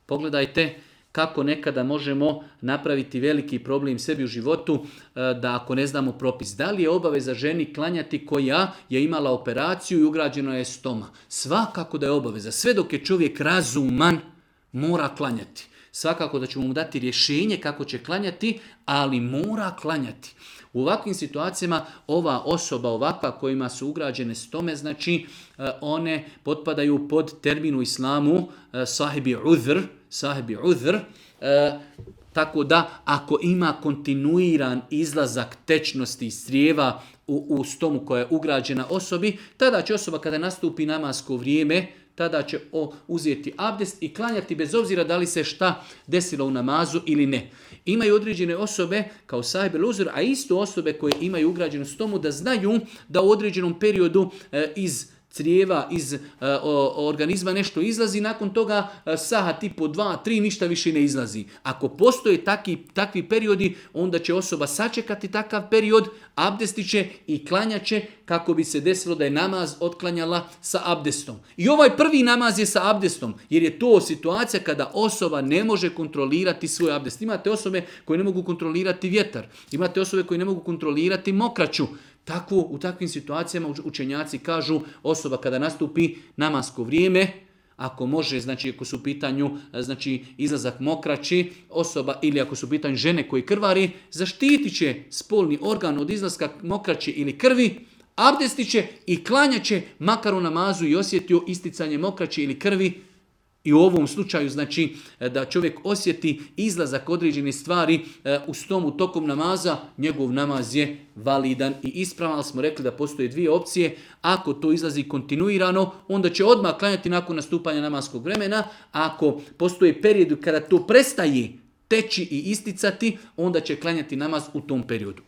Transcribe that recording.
Pogledajte kako nekada možemo napraviti veliki problem sebi u životu da ako ne znamo propis. Da li je obaveza ženi klanjati koja je imala operaciju i ugrađeno je stoma? Svakako da je obaveza. Sve dok je čovjek razuman, mora klanjati. Svakako da ćemo mu dati rješenje kako će klanjati, ali mora klanjati. U ovakvim situacijama ova osoba ovakva kojima su ugrađene stome, znači one potpadaju pod termin u islamu sahibi udhr, tako da ako ima kontinuiran izlazak tečnosti iz crijeva u stomu koja je ugrađena osobi, tada će osoba kada nastupi namasko vrijeme, tada će uzeti abdest i klanjati bez obzira da li se šta desilo u namazu ili ne. Imaju određene osobe kao sahibel uzr, a isto osobe koje imaju ugrađenu stomu da znaju da u određenom periodu iz crijeva, iz organizma nešto izlazi, nakon toga sahat i po 2, 3 ništa više ne izlazi. Ako postoje takvi periodi, onda će osoba sačekati takav period, abdestit će i klanjat će kako bi se desilo da je namaz otklanjala sa abdestom. I ovaj prvi namaz je sa abdestom, jer je to situacija kada osoba ne može kontrolirati svoj abdest. Imate osobe koje ne mogu kontrolirati vjetar, imate osobe koje ne mogu kontrolirati mokraću. U takvim situacijama učenjaci kažu osoba kada nastupi namasko vrijeme, ako može, znači ako su u pitanju izlazak mokraći, osoba ili ako su u pitanju žene koji krvari, zaštitit će spolni organ od izlaska mokraći ili krvi, abdestit će i klanjat će makar u namazu i osjetio isticanje mokraći ili krvi. I u ovom slučaju znači da čovjek osjeti izlazak određene stvari u stomu tokom namaza, njegov namaz je validan i ispravan, ali smo rekli da postoje dvije opcije. Ako to izlazi kontinuirano, onda će odmah klanjati nakon nastupanja namaskog vremena. Ako postoje period kada to prestaje teći i isticati, onda će klanjati namaz u tom periodu.